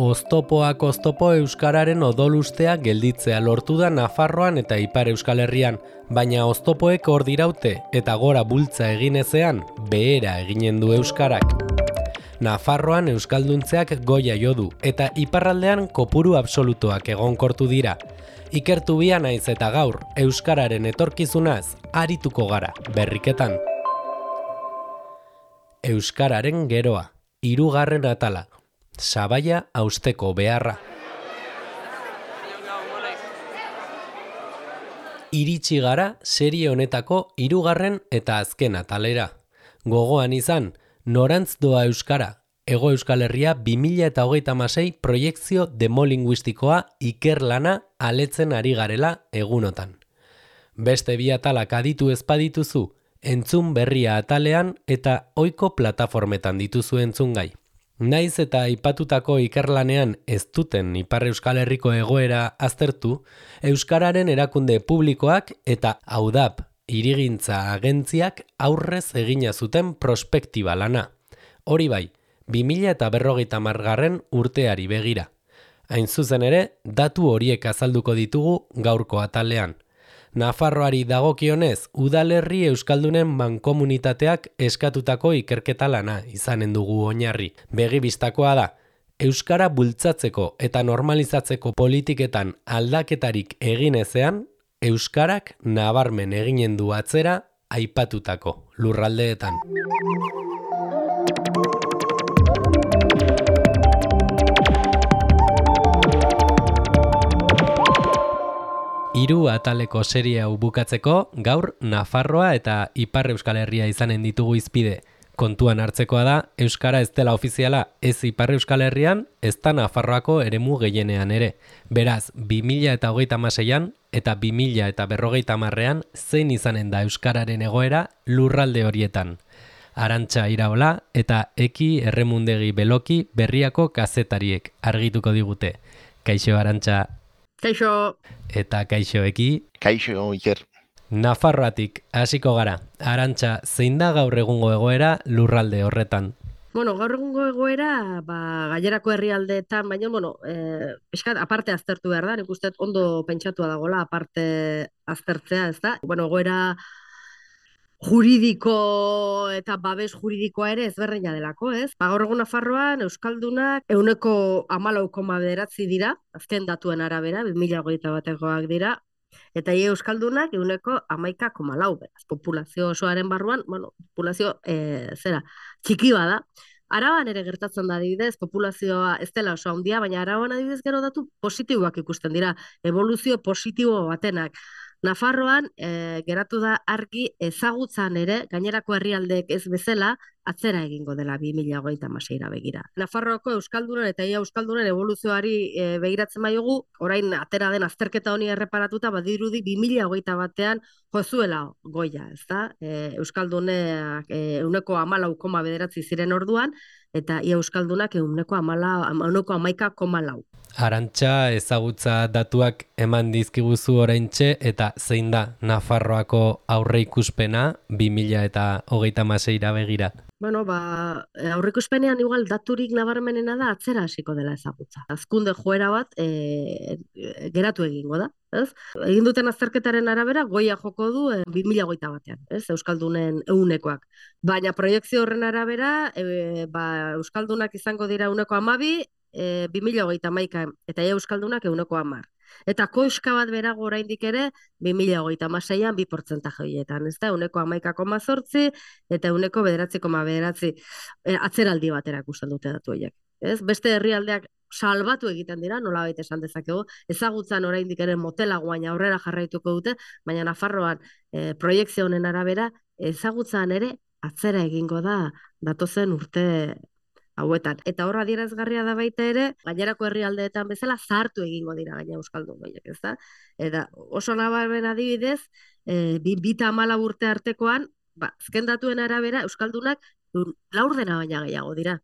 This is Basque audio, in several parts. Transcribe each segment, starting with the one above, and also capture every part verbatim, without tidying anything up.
Oztopoak oztopo euskararen odolustea gelditzea lortu da Nafarroan eta Ipar Euskal Herrian, baina oztopoek hor diraute eta gora bultza egin ezean, behera eginen du euskarak. Nafarroan euskalduntzeak goia jo du eta iparraldean kopuru absolutoak egonkortu dira. Ikertu bia naiz eta gaur, euskararen etorkizunaz arituko gara berriketan. Euskararen geroa, hirugarren atala. Sabaia hausteko beharra. Iritsi gara serie honetako hirugarren eta azken atalera. Gogoan izan, norantz doa euskara, Hego Euskal Herria bi mila hogeita hamasei proiekzio demolinguistikoa ikerlana aletzen ari garela egunotan. Beste bi atalak aditu ez badituzu, entzun berria atalean eta ohiko plataformetan dituzu entzungai. Naiz eta aipatutako ikerlanean ez duten Ipar Euskal Herriko egoera aztertu, euskararen erakunde publikoak eta AUDAP hirigintza agentziak aurrez egina zuten prospektiba lana. Hori bai, bi mila berrogeita hamargarren urteari begira. Hain zuzen ere, datu horiek azalduko ditugu gaurko atalean. Nafarroari dagokionez, udalerri euskaldunen mankomunitateak eskatutako ikerketa lana izanen dugu oinarri. Begibistakoa da, euskara bultzatzeko eta normalizatzeko politiketan aldaketarik egin ezean, euskarak nabarmen eginen du atzera aipatutako lurraldeetan. Hiru ataleko serie hau bukatzeko, gaur Nafarroa eta Ipar Euskal Herria izanen ditugu hizpide. Kontuan hartzekoa da, euskara ez dela ofiziala ez Ipar Euskal Herrian, ez da Nafarroako eremu gehienean ere. Beraz, bi mila hogeita hamaseian eta bi mila berrogeita hamarrean zein izanen da euskararen egoera lurralde horietan. Arantxa Iraola eta Eki Erremundegi Beloki Berriako kazetariek argituko digute. Kaixo Arantxa. Kaixo. Eta kaixo Eki. Kaixo Iker. Nafarroatik hasiko gara. Arantxa, zein da gaur egungo egoera lurralde horretan? Bueno, gaur egungo egoera, ba, gainerako herrialdeetan, baina, bueno, eh, eskat, aparte aztertu behar da, nik uste ondo pentsatua dagoela, aparte aztertzea, ez da? Bueno, egoera juridiko eta babes juridikoa ere ezberdina delako, ez? Ba, gaur egun Nafarroan euskaldunak ehuneko hamalau koma bederatzi dira, azken datuen arabera, bi mila hogeita batekoak dira, eta ia euskaldunak ehuneko hamaika koma lau, beraz, populazio osoaren barruan, bueno, populazio e, zera, txiki bada. Araban ere gertatzen da adibidez, populazioa ez dela oso handia, baina Araban adibidez gero datu positiboak ikusten dira, evoluzio positibo batenak. Nafarroan e, geratu da argi ezagutzan ere, gainerako herrialdeek ez bezala, atzera egingo dela bi mila hogeita hamaseira begira. Nafarroako euskaldunen eta ia euskaldunen evoluzioari e, begiratzen baiogu, orain atera den azterketa honi erreparatuta, badirudi bi mila hogeita batean jozuela goia, ezta? E, euskalduneak ehuneko hamalau koma bederatzi ziren orduan, eta ia euskaldunak ehuneko hamaika koma lau. Arantxa, ezagutza datuak eman dizkiguzu oraintxe eta zein da Nafarroako aurreikuspena bi mila hogeita hamaseira begira? Bueno, ba, aurreikuspenean igual daturik nabarmenena da atzera hasiko dela ezagutza. Hazkunde joera bat e, geratu egingo da, ez? Egin duten azterketaren arabera goia joko du e, bi mila hogeita batean, ez? Euskaldunen ehunekoak. Baina proiekzio horren arabera, e, ba, euskaldunak izango dira ehuneko hamabi, e, bi mila hogeita hamaika eta ia euskaldunak ehuneko hamar. Eta koiska bat berago oraindik ere, bi mila hogeita hamaseian bi portzentaje horietan, ez da, ehuneko hamaika koma zortzi eta ehuneko bederatzi koma bederatzi e, atzeraldi bat erakusten dute datu horiek. Ez? Beste herrialdeak salbatu egiten dira, nolabait esan dezakegu, ezagutzan oraindik ere motelago baina aurrera jarraituko dute, baina Nafarroan e, proiekzio honen arabera ezagutzan ere atzera egingo da datozen urte hauetan. Eta horra adierazgarria da baita ere, gainerako herrialdeetan bezala zahartu egingo dira gaina euskaldun goiek, ez da? Eta oso nabarmen adibidez, e, bi bita hamala urte artekoan, ba, azken datuen arabera, euskaldunak laurdena baina gehiago dira.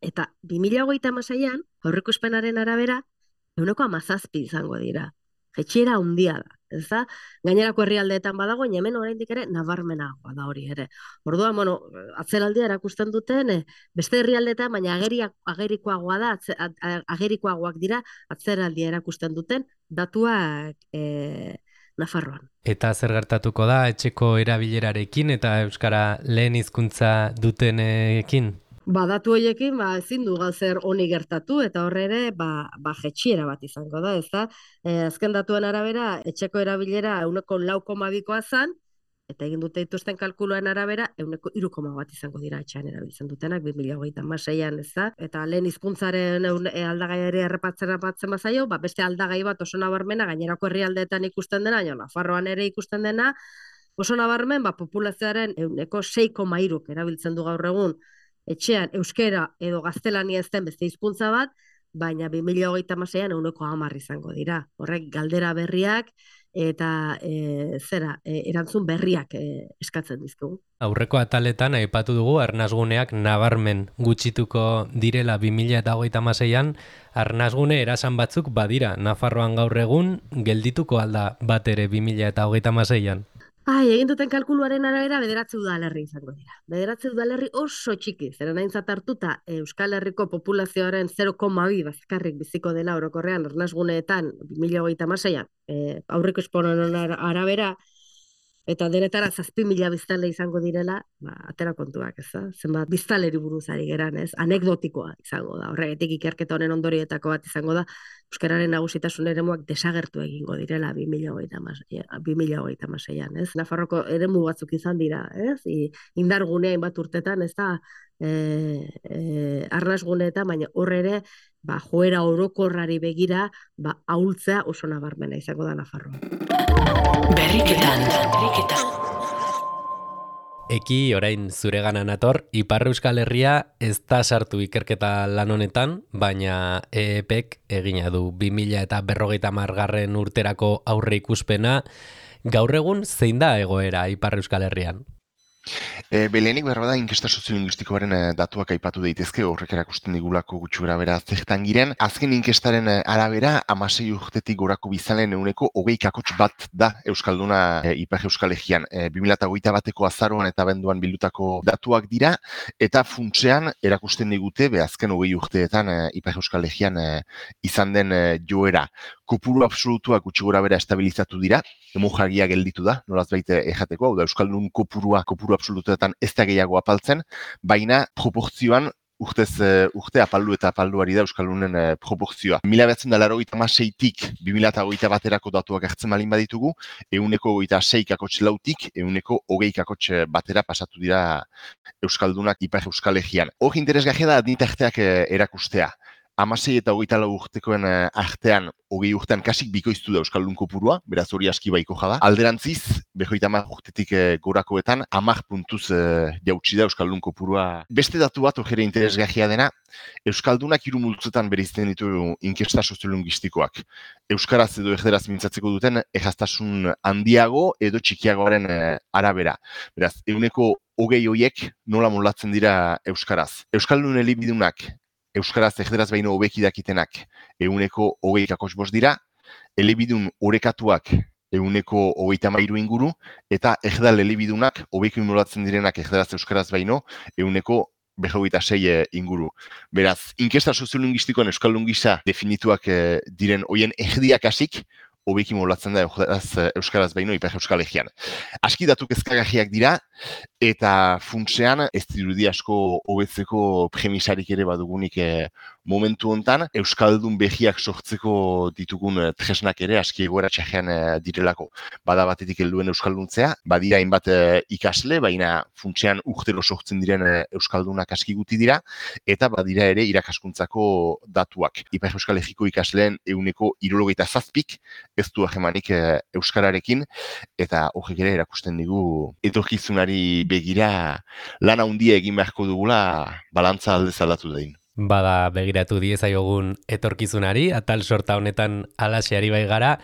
Eta bi mila hogeita hamaseian, aurreikuspenaren arabera, ehuneko hamazazpi izango dira. Jetxiera handia da, ez da? Gainerako herrialdeetan badago, baina hemen oraindik ere nabarmenagoa da hori ere. Orduan, bueno, atzeraldia erakusten duten, eh, beste herrialdeetan, baina ageriak, agerikoagoa da, atze, a- a- agerikoagoak dira atzeraldia erakusten duten datuak eh, Nafarroan. Eta zer gertatuko da etxeko erabilerarekin eta euskara lehen hizkuntza dutenekin? Ba, datu horiekin, ba, ezin du zer honi gertatu, eta horre ere, ba, ba, jetxiera bat izango da, ez da? E, azken datuen arabera, etxeko erabilera euneko lau koma bikoa zan, eta egin dute dituzten kalkuluen arabera, euneko hiru koma bat izango dira etxean erabiltzen dutenak, bi mila hogeita hamaseian, ez da? Eta lehen hizkuntzaren eun- e, aldagaiari errepatzen batzen bazaio, ba, beste aldagai bat oso nabarmena, gainerako herrialdeetan ikusten dena, baina Nafarroan ere ikusten dena, oso nabarmen, ba, populazioaren euneko sei koma hiruk erabiltzen du gaur egun, etxean euskera edo gaztelania ez den beste hizkuntza bat, baina bi mila hogeita hamaseian euneko hamar izango dira. Horrek galdera berriak eta e, zera, e, erantzun berriak e, eskatzen dizkigu. Aurreko ataletan aipatu dugu arnasguneak nabarmen gutxituko direla bi mila hogeita hamaseian, arnasgune erasan batzuk badira Nafarroan gaur egun geldituko alda bat ere bi mila hogeita hamaseian. Ai, egin duten kalkuluaren arabera bederatzi udalerri izango dira. Bederatzi udalerri oso txiki, zeren aintzat hartuta Euskal Herriko populazioaren zero koma bi bazkarrik biziko dela orokorrean arnasguneetan bi mila hogeita hamaseian, e, aurreko esponen arabera, eta denetara zazpi mila biztanle izango direla, ba, atera kontuak, ez da? Zenbat biztanleri buruz ari geran, ez? Anekdotikoa izango da. Horregatik ikerketa honen ondorioetako bat izango da, euskararen nagusitasun eremuak desagertu egingo direla bi mila hogeita hamaseian, ez? Nafarroko eremu batzuk izan dira, ez? I, indargunean bat urtetan, ez da? E, e, arnasguneetan, baina horre ere, ba, joera orokorrari begira, ba, ahultzea oso nabarmena izango da Nafarroa. Berriketan, berriketan. Eki, orain zuregana nator, Ipar Euskal Herria ez da sartu ikerketa lan honetan, baina E E Pek egina du bi mila eta berrogeita hamargarren urterako aurre ikuspena. Gaur egun zein da egoera Ipar Euskal Herrian? E, Belenik berra da inkesta soziolinguistikoaren e, datuak aipatu daitezke, horrek erakusten digulako gutxi gara bera zertan giren. Azken inkestaren e, arabera, amasei urtetik gorako bizalen euneko hogei kakotx bat da Euskalduna e, Ipar Euskal Herrian. E, bi mila hogeita bateko azaroan eta abenduan bildutako datuak dira, eta funtsean erakusten digute, be azken hogei urteetan e, Ipar Euskal Herrian e, izan den e, joera. Kopuru absolutuak gutxi gora bera estabilizatu dira, hemojagia gelditu da, nolaz baita ejateko, hau da Euskaldun kopurua, kopuru absolutuetan ez da gehiago apaltzen, baina proportzioan urtez urte apaldu eta apalduari da Euskaldunen e, proportzioa. Mila behatzen da laurogeita hamaseitik bi mila hogeita baterako datuak hartzen malin baditugu, euneko hogeita sei kakotx lautik, euneko hogei kakotx batera pasatu dira Euskaldunak Ipar Euskal Herrian. Hor interesgarria da adinitarteak e, erakustea. Hamasei eta hogeita lau urtekoen uh, artean, hogei urtean kasik bikoiztu da Euskaldun kopurua, beraz hori aski baiko jada. Alderantziz, berrogeita hamar urtetik uh, gorakoetan, hamar puntuz uh, jautsi da Euskaldun kopurua. Beste datu bat, hori interesgarria dena, Euskaldunak hiru multzotan bereizten ditu inkesta soziolinguistikoak. Euskaraz edo erderaz mintzatzeko duten, erraztasun handiago edo txikiagoaren uh, arabera. Beraz, euneko hogei hoiek nola molatzen dira Euskaraz. Euskaldun elebidunak, Euskaraz erderaz baino hobeki dakitenak euneko hogei kakotx bost dira, elebidun orekatuak euneko hogeita hamairu inguru, eta erdal elebidunak hobeki molatzen direnak erderaz euskaraz baino euneko berrogeita sei inguru. Beraz, inkesta soziolinguistikoan euskaldun gisa definituak eh, diren hoien erdiak hasik, hobeki molatzen da euskaraz, euskaraz baino Ipar Euskal Herrian. Aski datu kezkagarriak dira, eta funtsean ez dirudi asko hobetzeko premisarik ere badugunik e, momentu hontan, Euskaldun behiak sortzeko ditugun e, tresnak ere aski egoera txarrean e, direlako. Bada batetik helduen Euskalduntzea, badira hainbat e, ikasle, baina funtsean urtero sortzen diren e, Euskaldunak aski guti dira, eta badira ere irakaskuntzako datuak. Ipar Euskal Herriko ikasleen euneko hirurogeita zazpik, ez du hagemanik e, Euskararekin, eta horrek ere erakusten digu etorkizunari begira lan handia egin beharko dugula balantza aldez aldatu dain. Bada begiratu diezaiogun etorkizunari, atal sorta honetan alaxeari bai gara,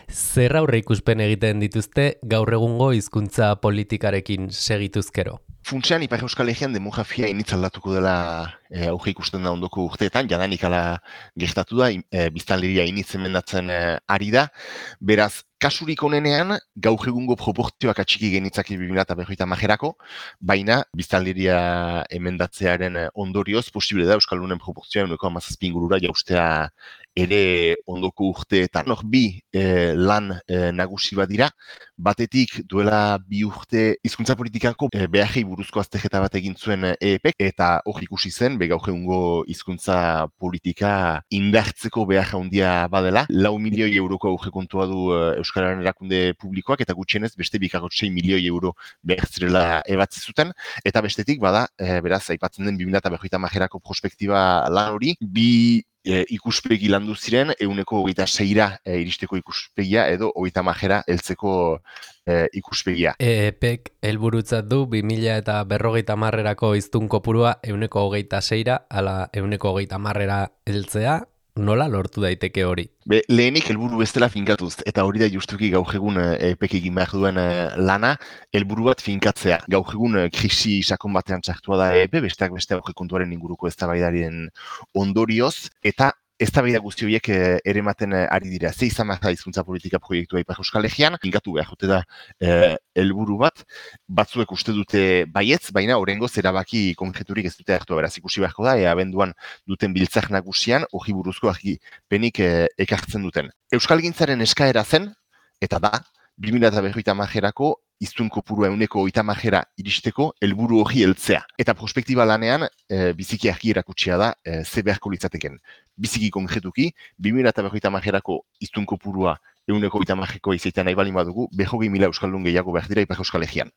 zer aurre ikuspen egiten dituzte gaur egungo hizkuntza politikarekin segituzkero? Funtsean, Ipar Euskal Herrian demografia initz aldatuko dela e, auge ikusten da ondoko urteetan, jadanik ala gertatu da, e, biztanleria initz emendatzen e, ari da, beraz, kasurik onenean, gaur egungo proportzioak atxiki genitzake bi mila berrogeita hamarerako, baina biztanleria emendatzearen ondorioz posible da Euskaldunen proportzioa ehuneko hamazazpi ingurura jaustea ere ondoko urteetan. Hor bi eh, lan eh, nagusi bat dira, batetik duela bi urte hizkuntza politikako eh, beharrei buruzko azterketa bat egin zuen E E P eta hor ikusi zen, be gaur egungo hizkuntza politika indartzeko behar handia badela. Lau milioi euroko aurrekontua du eh, Euskararen erakunde publikoak eta gutxienez beste bikako sei milioi euro behar zirela ebatzi zuten, eta bestetik bada, eh, beraz, aipatzen den bi mila berrogeita hamarerako prospektiba lan hori, bi E, ikuspegi landu ziren, ehuneko hogeita seira e, iristeko ikuspegia edo hogeita hamara heltzeko e, ikuspegia. E E Pek helburutzat du bi mila eta berrogeita hamarrerako hiztun kopurua ehuneko hogeita seira ala ehuneko hogeita hamarrera heltzea. Nola lortu daiteke hori? Be, lehenik helburu bestela finkatuz, eta hori da justuki gaur egun E E Pek egin behar duen lana, helburu bat finkatzea. Gaur egun krisi sakon batean txartua da E E P, besteak beste aurrekontuaren inguruko eztabaidaren ondorioz, eta eztabaida guzti horiek ere ematen ari dira. Ze izan behar da hizkuntza politika proiektua Ipar Euskal Herrian, finkatu behar jote da helburu bat, batzuek uste dute baietz, baina oraingoz erabaki konkreturik ez dute hartu. Beraz, ikusi beharko da, ea abenduan duten biltzak nagusian, hori buruzko argipenik e, ekartzen duten. Euskalgintzaren eskaera zen, eta da, bi mila berrogeita hamarerako hiztun kopurua ehuneko hogeita hamarera iristeko helburu hori heltzea. Eta prospektiba lanean, e, biziki argi erakutsia da, e, ze beharko litzateken. Biziki konkretuki, bi mila berrogeita hamarerako hiztun kopurua ehuneko hogeita hamareko izatea nahi balin badugu, berrogei mila euskaldun gehiago behar dira Ipar Euskal Herrian.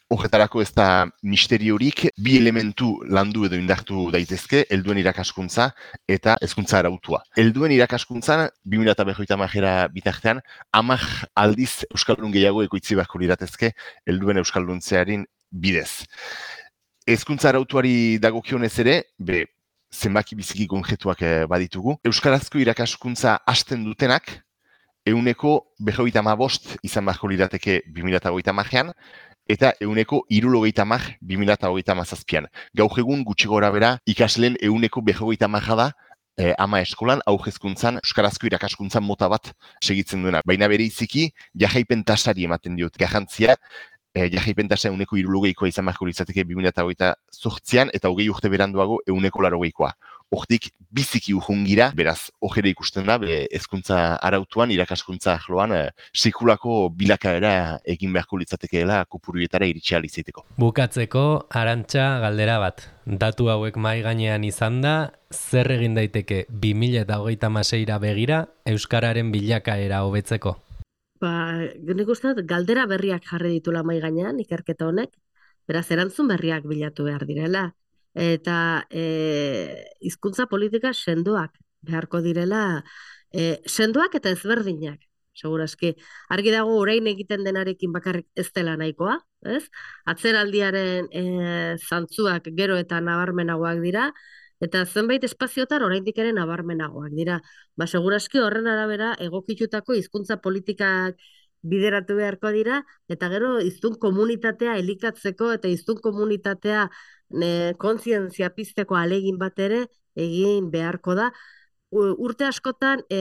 Horretarako ez da misteriorik, bi elementu landu edo indartu daitezke, helduen irakaskuntza eta hezkuntza arautua. Helduen irakaskuntzan, bi mila berrogeita hamarera bitartean, hamar aldiz euskaldun gehiago ekoitzi beharko liratezke helduen euskalduntzearen bidez. Hezkuntza arautuari dagokionez ere, be, zenbaki biziki konkretuak baditugu. Euskarazko irakaskuntza hasten dutenak, ehuneko berrogeita hamabost izan beharko lirateke bi mila hogeita hamarean, eta ehuneko hirurogeita hamar bi mila hogeita hamazazpian. Gaur egun gutxi gora bera ikasleen ehuneko berrogeita hamara da eh, ama eskolan aurrezkuntzan euskarazko irakaskuntzan mota bat segitzen duena. Baina bere iziki jarraipen tasari ematen diot garrantzia, eh, jarraipen tasa ehuneko hirurogeikoa izan beharko litzateke bi mila hogeita zortzian eta hogei urte beranduago ehuneko laurogeikoa. Hortik biziki urrungira, beraz, hori ikusten da, hezkuntza arautuan, irakaskuntza arloan, e, sekulako bilakaera egin beharko litzatekeela kopuruetara iritsi ahal izateko. Bukatzeko, Arantxa galdera bat. Datu hauek mahai gainean izan da, zer egin daiteke bi mila hogeita hamaseira begira euskararen bilakaera hobetzeko? Ba, nik uste dut, galdera berriak jarri ditula mahai gainean, ikerketa honek, beraz, erantzun berriak bilatu behar direla. Eta e, hizkuntza politika sendoak beharko direla, e, sendoak eta ezberdinak, segurazki. Argi dago orain egiten denarekin bakarrik ez dela nahikoa, ez? Atzeraldiaren e, zantzuak gero eta nabarmenagoak dira, eta zenbait espaziotan oraindik ere nabarmenagoak dira. Ba, segurazki horren arabera egokitutako hizkuntza politikak bideratu beharko dira, eta gero hiztun komunitatea elikatzeko eta hiztun komunitatea Ne, kontzientzia pizteko alegin bat ere egin beharko da. Urte askotan e,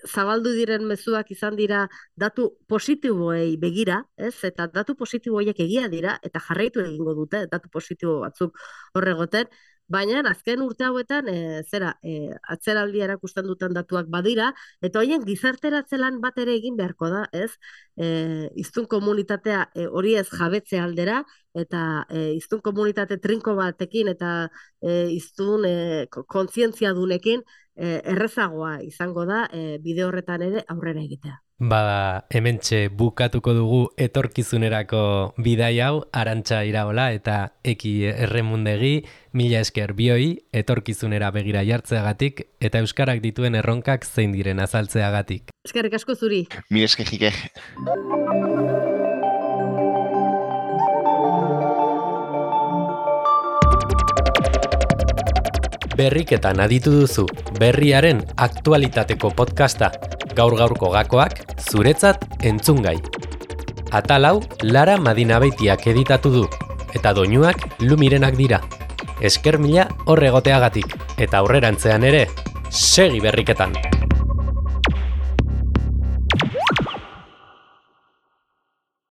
zabaldu diren mezuak izan dira datu positiboei begira, ez? Eta datu positiboiek egia dira eta jarraitu egingo dute datu positibo batzuk horregoten, baina azken urte hauetan e, zera e, atzeraldi erakusten duten datuak badira, eta horien gizarteratze lan bat ere egin beharko da, ez? E, hiztun komunitatea e, hori ez jabetze aldera, eta e, hiztun komunitate trinko batekin eta e, hiztun e, kontzientzia dunekin e, errezagoa izango da e, bide horretan ere aurrera egitea. Bada, hementxe bukatuko dugu etorkizunerako bidai hau, Arantxa Iraola eta Eki Erremundegi, mila esker bioi, etorkizunera begira jartzeagatik eta euskarak dituen erronkak zein diren azaltzeagatik. Eskerrik asko zuri. Mila esker jikek. Berriketan aditu duzu, berriaren aktualitateko podcasta, gaur-gaurko gakoak, zuretzat entzungai. Atal hau, Lara Madinabeitiak editatu du, eta doinuak Lumirenak dira. Esker mila horregoteagatik, eta aurrerantzean ere, segi berriketan!